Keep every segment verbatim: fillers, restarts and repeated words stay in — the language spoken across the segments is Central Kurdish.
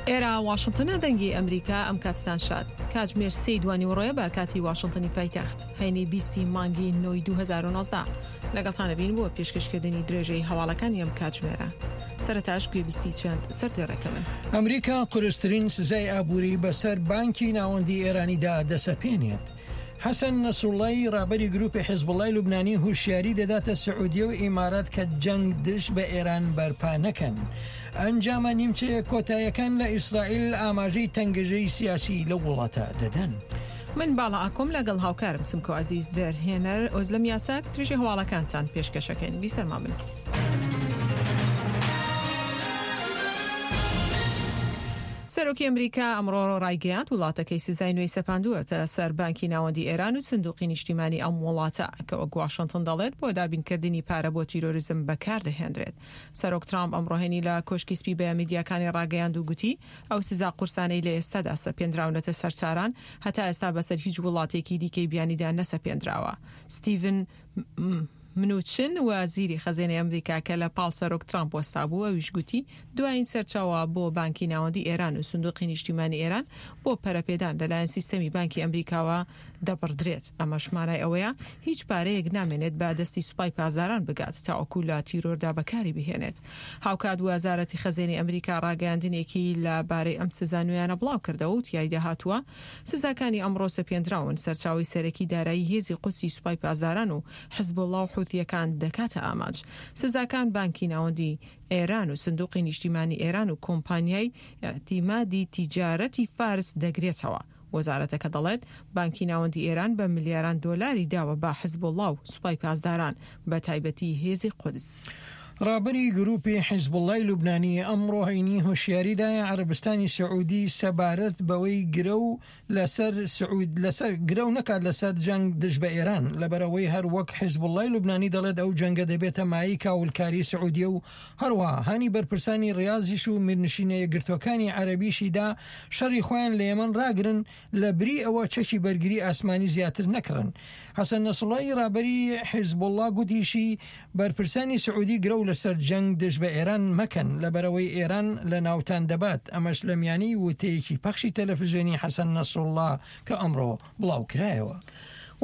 ئێرە واشنتنە، دەنگی ئەمریکا. ئەم کاتتان شاد. کاتژمێر سێی دوانیوەڕۆیە بە کاتی واشنتنی پایتەخت، هەینی بیستی مانگی نۆی دوو هەزار و نۆزدە. لەگەڵتان ئەبین بۆ پێشکەشکردنی درێژەی هەواڵەکانی ئەم کاتژمێرە. سەرەتاش گوێبیستی چەند سەردێڕێکە بن. ئەمریکا قورسترین سزای ئابووری بەسەر بانکی ناوەندی ئێرانیدا دەسەپێنێت. حەسەن نەسروڵڵای ڕابەری گروپی حیزبوڵڵای لوبنانی هوشیاری دەداتە سعودیە و ئیمارات کە جەنگ دژ بە ئێران بەرپا نەکەن. ئەنجامە نیمچە کۆتایەکان لە ئیسرائیل ئاماژەی تەنگژەی سیاسی لەو وڵاتە دەدەن. من باڵا ئاکۆم لەگەڵ هاوکارم سمکۆ عەزیز دەرهێنەر ئۆزلەم یاساک درێژەی هەواڵەکانتان پێشکەشەکەین. بیسەرمان بن. سەرۆکی ئەمریکا ئەمڕۆ ڕایگەیاند وڵاتەکەی سزای نوێی سەپاندووەتە سەر بانکی ناوەندی ئێران و سندوقی نیشتیمانی ئەم وڵاتە کە وەک واشنتن دەڵێت بۆ دابینکردنی پارە بۆ تیرۆریزم بەکاردەهێنرێت. سەرۆک ترامپ ئەمڕۆ هەینی لە کۆشکی سپی بە میدیاکانی ڕاگەیاند و گوتی ئەو سزا قورسانەی لە ئێستادا سەپێنراونەتە سەر تاران هەتا ئێستا بەسەر هیچ وڵاتێکی دیکەی بیانیدا نەسەپێنراوە. ستیڤن منوچن وەزیری خەزێنەی ئەمریکا کە لە پاڵ سەرۆک ترامپ وەستا بوو ئەویش گوتی دوایین سەرچاوە بۆ بانکی ناوەندی ئێران و سندوقی نیشتیمانی ئێران بۆ پەرەپێدان لەلایەن سیستەمی بانکی ئەمریکاوە دەبڕدرێت. ئەمەش مانای ئەوەیە هیچ پارەیەک نامێنێت بە دەستی سوپای پاسداران بگات تاوەکو لە تیرۆردا بەکاری بهێنێت. هاوکات وەزارەتی خەزێنەی ئەمریکا ڕاگەیاندنێکی لە بارەی ئەم سزا نوێیانە بڵاو کردەوە و تیایدا هاتووە سزاکانی ئەمڕۆ سەپێنراون سەرچاوەی سەرەکی دارایی هێزی قودسی سوپای پاسداران و حزبوڵڵا و حوثیەکان دەکاتە ئامانج. سزاکان بانکی ناوەندی ئێران و سندوقی نیشتیمانی ئێران و کۆمپانیای ئیعتیمادی تیجارەتی فارس دەگرێتەوە. وەزارەتەکە دەڵێت بانکی ناوەندی ئێران بە ملیاران دۆلاری داوە بە حزبوڵڵا و سوپای پاسداران بە تایبەتی هێزی قودس. ڕابەری گروپی حیزبوڵڵای لوبنانی ئەمڕۆ هەینی هۆشیاریدایە عەرەبستانی سعودی سەبارەت بەوەی گرەو لەسەر سعود لەسەر گرەو نەکات لەسەر جەنگ دژ بە ئێران، لەبەرەوەی هەر وەک حیزبوڵڵای لوبنانی دەڵێت ئەو جەنگە دەبێتە مایەی کاولکاری سعودیە و هەروەها هانی بەرپرسانی ڕیازیش و میرنشینە یەکگرتوەکانی عەرەبیشیدا شەڕی خۆیان لە یەمەن ڕاگرن لە بری ئەوە چەکی بەرگری ئاسمانی زیاتر نەکڕن. حەسەن نەسروڵڵای ڕابەری حیزبوڵڵا گوتیشی بەرپرسانی سعودی گرەو لەسەر جەنگ دژ بە ئێران مەکەن لەبەرەوەی ئێران لە ناوتان دەبات. ئەمەش لە میانی وتەیەکی پەخشی تەلەفزیۆنی حەسەن نەسروڵڵا کە ئەمڕۆ بڵاو کرایەوە.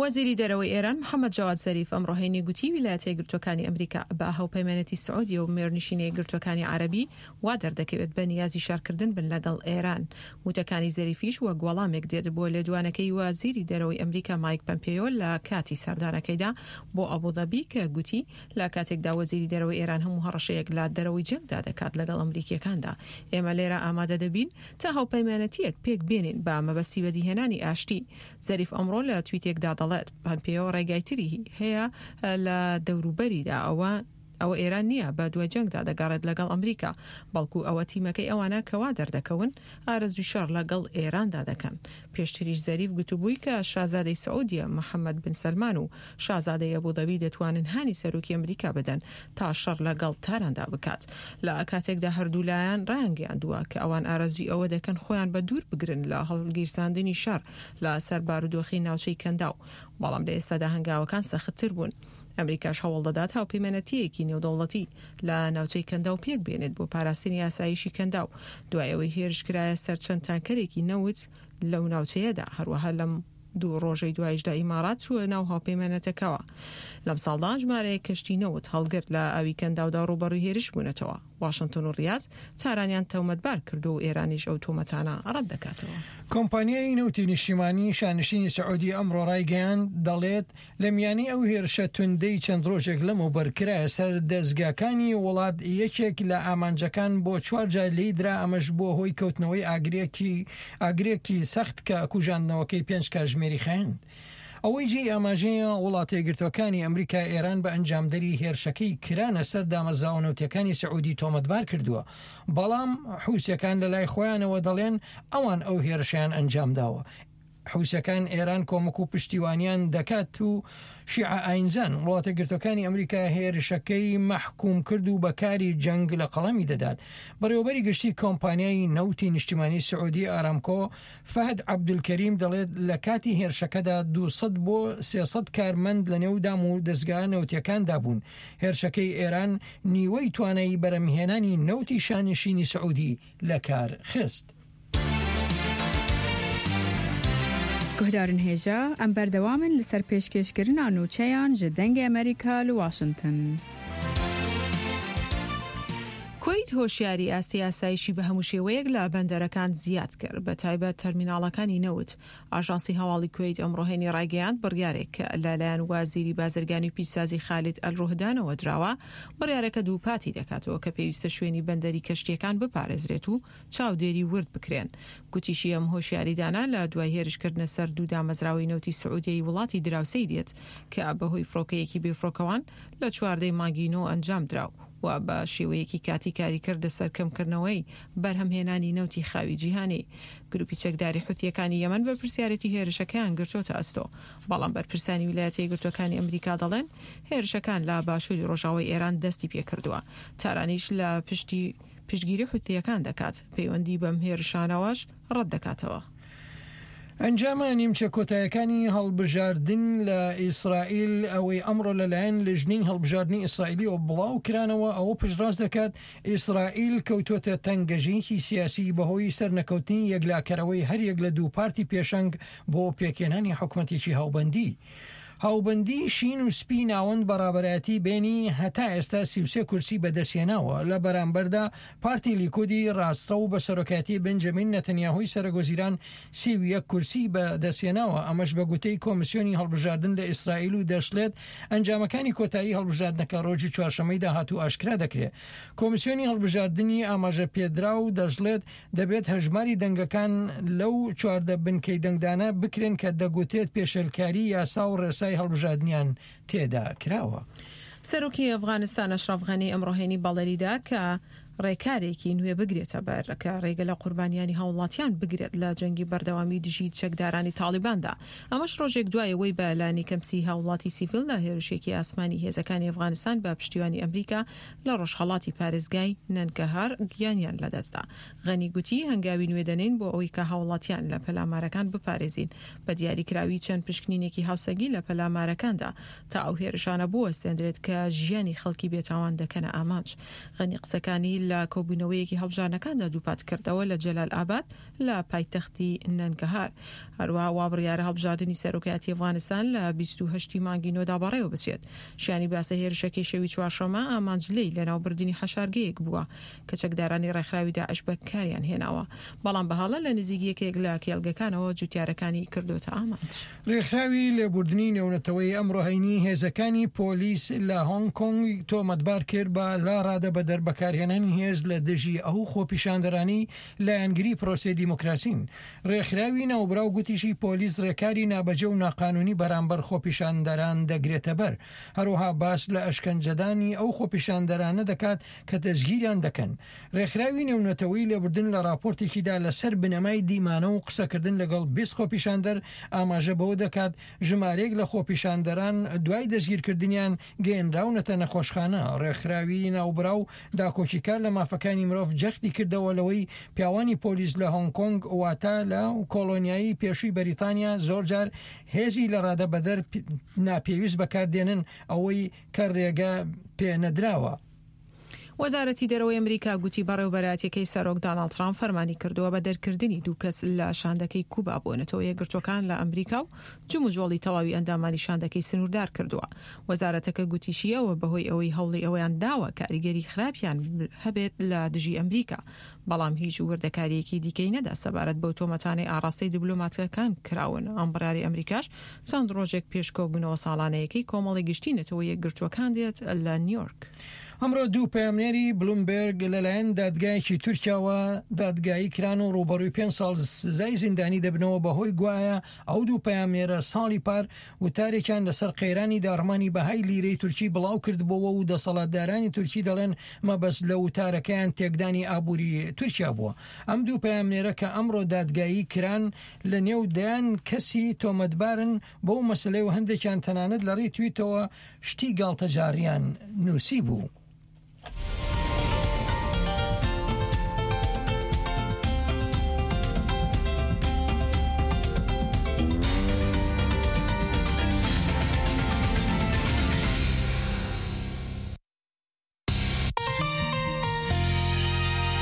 وەزیری دەرەوەی ئێران محەممەد جەواد زەریف ئەمڕۆ هەینی گوتی ویلایەتە یەکگرتووەکانی ئەمریکا بە هاوپەیمانێتی سعودیە و مێرنشینە یەکگرتووەکانی عەرەبی وا دەردەکەوێت بە نیازی شەڕکردن بن لەگەڵ ئێران. وتەکانی زەریفیش وەک وەڵامێک دێت بۆ لێدوانەکەی وەزیری دەرەوەی ئەمریکا مایک پەمپێیۆ لە کاتی سەردانەکەیدا بۆ ئەبوظەبی کە گوتی لە کاتێکدا وەزیری دەرەوەی ئێران هەموو هەڕەشەیەک لە دەرەوەی جەنگدا دەکات لەگەڵ ئەمریکیەکاندا، ئێمە لێرە ئامادە دەبین تا هاوپەیمانەتیەک پێک بێنین بە مەبەستی بەدیهێنانی ئاشتی. زەریف ئەمڕۆ لە تویتێکدا دەڵێت پەمپێیۆ ڕێگای تری هەیە لە دەوروبەریدا، ئەوە ئەوە ئێران نییە بە دوای جەنگدا دەگەڕێت لەگەڵ ئەمریکا، بەڵکو ئەوە تیمەکەی ئەوانە کەوا دەردەکەون ئارەزوی شەڕ لەگەڵ ئێراندا دەکەن. پێشتریش زەریف گوتبووی کە شازادەی سعودیە محەممەد بن سەلمان و شازادەی ئەبوظەبی دەتوانن هانی سەرۆکی ئەمریکا بدەن تا شەڕ لەگەڵ تاراندا بکات. لە کاتێکدا هەردوو لایەن ڕایانگەیاندووە کە ئەوان ئارەزوی ئەوە دەکەن خۆیان بە دوور بگرن لە هەڵگیرساندنی شەڕ لەسەر بارودۆخی ناوچەی کەنداو، بەڵام لە ئێستادا هەنگاوەکان سەختتر بوون. ئەمریکاش هەوڵ دەدات هاوپەیمانەتیەکی نێودەوڵەتی لە ناوچەی کەنداو پێک بێنێت بۆ پاراستنی ئاسایشی کەنداو دوای ئەوەی هێرش کرایە سەر چەند تانکەرێکی نەوت لەو ناوچەیەدا. هەروەها لەم دوو ڕۆژەی دوایشدا ئیمارات چووە ناو هاوپەیمانەتەکەوە. لەم ساڵدا ژمارەیەک کەشتی نەوت هەڵگر لە ئاوی کەنداودا ڕووبەڕووی هێرش بوونەتەوە. واشنتن و ڕیاز تارانیان تۆمەتبار کردو و ئێرانیش ئەو تۆمەتانە ڕەت دەکاتەوە. کۆمپانیای نەوتی نیشتیمانی شانشینی سعودی ئەمڕۆ ڕایگەیاند دەڵێت لە میانی ئەو هێرشە توندەی چەند ڕۆژێک لەمەوبەر کرایە سەر دەستگاکانی وڵات یەکێک لە ئامانجەکان بۆ چوار جار لێی درا، ئەمەش بۆ هۆی کەوتنەوەی ئاگرێکی ئاگرێکی سەخت کە کوژاندنەوەکەی پێنج کاتژمێری خایاند. ئەوەی جێی ئاماژەیە وڵاتە یەکگرتووەکانی ئەمریکا ئێران بە ئەنجامدەری هێرشەکەی کرانە سەر دامەزراوە نەوتیەکانی سعودی تۆمەتبار کردووە، بەڵام حوسیەکان لە لای خۆیانەوە دەڵێن ئەوان ئەو هێرشیان ئەنجام داوە. حوسەکان ئێران کۆمەک و پشتیوانیان دەکات و شیعە ئاینزان. وڵاتە یەکگرتووەکانی ئەمریکا هێرشەکەی مەحکوم کرد و بەکاری جەنگ لە قەڵەمی دەدات. بەڕێوەبەری گشتی کۆمپانیای نەوتی نیشتیمانی سعودی ئارامکۆ فەهد عەبدولکەریم دەڵێت لە کاتی هێرشەکەدا دوو سەد بۆ سێ سەد کارمەند لە نێو دام و دەزگا نەوتیەکاندا بوون. هێرشەکەی ئێران نیوەی توانایی بەرەمهێنانی نەوتی شانشینی سعودی لەکار خست. گوهدارن هێژا ئەم بەردەوامن لەسەر پێشکێشکردنا نوچەیان ji دەنگی ئەمریکا لە واشنگتن. کوەیت هۆشیاری ئاستی ئاسایشی بە هەموو شێوەیەک لە بەندەرەکان زیاد کرد، بە تایبەت تەرمیناڵەکانی نەوت. ئاژانسی هەواڵی کوەیت ئەمڕۆ هەینی ڕایگەیاند بڕیارێک کە لەلایەن وازیری بازرگانی و پیشسازی خالد ئەلڕوهدانەوە دراوە، بڕیارەکە دووپاتی دەکاتەوە کە پێویستە شوێنی بەندەری کەشتیەکان بپارێزرێت و چاودێری ورد بکرێن. گوتیشی ئەم هۆشیاریدانە لە دوای هێرشکردنە سەر دوو دامەزراوەی نەوتی سعودیەی وڵاتی دراوسێی دێت کە بەهۆی فڕۆکەیەکی بێفڕۆکەوان لە چواردەی مانگی نۆ ئەنجام دراو و بە شێوەیەکی کاتی کاری کردە سەر کەمکردنەوەی بەرهەمهێنانی نەوتی خاوی جیهانی. گروپی چەکداری حوتیەکانی یەمەن بەرپرسیارێتی هێرشەکەیان گرتۆتە ئەستۆ، بەڵام بەرپرسانی ویلایەتە یەکگرتووەکانی ئەمریکا دەڵێن هێرشەکان لە باشووری ڕۆژاوای ئێران دەستی پێکردووە. تارانیش لە پشتی پشتگیری حوتیەکان دەکات، پەیوەندی بەم هێرشانەوەش ڕەت دەکاتەوە. ئەنجامە نیمچە کۆتایەکانی هەڵبژاردن لە ئیسرائیل ئەوەی ئەمڕۆ لەلایەن لژنەی هەڵبژاردنی ئیسرائیلیەوە بڵاو کرانەوە ئەوە پشتڕاست دەکات ئیسرائیل کەوتووەتە تەنگەژەیەکی سیاسی بەهۆی سەرنەکەوتنی یەکلاکەرەوەی هەریەک لە دوو پارتی پێشەنگ بۆ پێکهێنانی حکومەتێکی هاوبەندی. هاوبەندی شین و سپی ناوەند بەڕابەرایەتی بێنی هەتا ئێستا سی و سێ کورسی بەدەستهێناوە. لە بەرامبەردا پارتی لیکودی ڕاستڕەو و بە سەرۆکایەتی بنجامین نەتەنیاهۆی سەرۆکوەزیران سی و یەک کورسی بەدەستهێناوە. ئەمەش بە گوتەی کۆمیسیۆنی هەڵبژاردن لە ئیسرائیل و دەشڵێت ئەنجامەکانی کۆتایی هەڵبژاردنەکە ڕۆژی چوارشەممەی داهاتوو ئاشکرا دەکرێت. کۆمیسیۆنی هەڵبژاردنی ئاماژە پێدرا و دەشڵێت دەبێت هەژماری دەنگەکان لەو چواردە بنکەی دەنگدانە بکرێن کە دەگوتێت پێشێلکاری یاسا و ڕێسای هەڵبژاردنیان تێدا کراوە. سەرۆکی ئەفغانستان ئەشرەف غەنی ئەمڕۆ هەینی بەڵێنیدا کە ڕێکارێکی نوێ بگرێتە بەر کە ڕێگە لە قوربانیانی هاوڵاتیان بگرێت لە جەنگی بەردەوامی دژی چەکدارانی تاڵیباندا. ئەمەش ڕۆژێک دوای ئەوەی بە لانیکەم سی هاوڵاتی سیڤیل لە هێرشێکی ئاسمانی هێزەکانی ئەفغانستان بە پشتیوانی ئەمریکا لە ڕۆژهەڵاتی پارێزگای نەنگەهار گیانیان لەدەستدا. غەنی گوتی هەنگاوی نوێ دەنێین بۆ ئەوەی کە هاوڵاتیان لە پەلامارەکان بپارێزین، بە دیاریکراوی چەند پشکنینێکی هاوسەنگی لە پەلامارەکاندا تا ئەو هێرشانە بوەستێندرێت کە ژیانی خەڵکی بێتاوان دەکەنە ئامانج. غەنی قسەکانی لە کۆبوونەوەیەکی هەڵبژاردنەکاندا دووپات کردەوە لە جەلال ئاباد لە پایتەختی نەنگەهار. هەروەها وا بڕیارە هەڵبژاردنی سەرۆکایەتی ئەفغانستان لە بیست و هەشتی مانگی نۆدا بەڕێوە بچێت. شیانی باسە هێرشەکەی شەوی چوارشەممە ئامانج لێی لەناوبردنی حەشارگەیەک بووە کە چەکدارانی ڕێکخراوی داعش بەکاریان هێناوە، بەڵام بەهاڵە لە نزیک یەکێک لە کێڵگەکانەوە جوتیارەکانی کردوتە ئامانج. ڕێکخراوی لێبوردنی نێونەتەوەی ئەمڕۆ هەینی هێزەکانی پۆلیس لە هۆنگ کۆنگ تۆمەتبار کرد بە لا ڕادە بەدەر بەکارهێنانی هێز لە دژی ئەو خۆپیشاندەرانی لایەنگری پرۆسەی دیموکراسین. ڕێکخراوی ناوبراو گوتیشی پۆلیس ڕێکاری نابەجێ و ناقانونی بەرامبەر خۆپیشاندەران دەگرێتە بەر. هەروەها باس لە ئەشکەنجەدانی ئەو خۆپیشاندەرانە دەکات کە دەستگیریان دەکەن. ڕێکخراوی نێونەتەوەی لێبوردن لە راپۆرتێکیدا لەسەر بنەمای دیمانە و قسەکردن لەگەڵ بیست خۆپیشاندەر ئاماژە بەوە دەکات ژمارەیەک لە خۆپیشاندەران دوای دەستگیرکردنیان گەیەنراونەتە نەخۆشخانە. ڕێکخراوی ناوبراو داکۆکیکار لە مافەکانی مرۆڤ جەختی کردەوە لەوەی پیاوانی پۆلیس لە هۆنگ کۆنگ واتە لە کۆلۆنیایی پێشووی بەریتانیا زۆرجار هێزی لە ڕادە بەدەر ناپێویست بەکاردێنن، ئەوەی کە ڕێگە پێنەدراوە. وەزارەتی دەرەوەی ئەمریکا گوتی بەڕێوەبەرایەتیەکەی سەرۆک داناڵد ترامپ فەرمانی کردووە بە دەرکردنی دوو کەس لە شاندەکەی کوبا بۆ نەتەوە یەکگرتووەکان لە ئەمریکا و جموجۆڵی تەواوی ئەندامانی شاندەکەی سنووردار کردووە. وەزارەتەکە گوتیشیەوە بەهۆی ئەوەی هەوڵی ئەوەیان داوە کاریگەری خراپیان هەبێت لە دژی ئەمریکا، بەڵام هیچ وردەکاریەکی دیکەی نەدا سەبارەت بەو تۆمەتانەی ئاراستەی دیبلۆماتەکان کراون. ئەم بڕیاری ئەمریکاش چەند ڕۆژێک پێش کۆبوونەوە ساڵانەیەکەی کۆمەڵی گشتی نەتەوە یەکگرتووەکان دێت لە نیویۆرک. ئەمڕۆ دوو پەیامنێری بلومبێرگ لەلایەن دادگایەکی تورکیاوە دادگایی کران و ڕووبەڕووی پێنج ساڵ سزای زیندانی دەبنەوە بەهۆی گوایە ئەو دوو پەیامنێرە ساڵی پار وتارێکیان لەسەر قەیرانی داڕمانی بەهای لیرەی تورکی بڵاو کردبۆوە و دەسەڵاتدارانی تورکی دەڵێن مەبەست لە وتارەکەیان تێکدانی ئابووری تورکیا بووە. ئەم دوو پەیامنێرە کە ئەمڕۆ دادگایی کران لە نێو دەیان کەسی تۆمەتبارن بەو مەسەلەی و هەندێکیان تەنانەت لە ڕێی تویتەوە شتی گاڵتەجاڕیان نووسیبوو.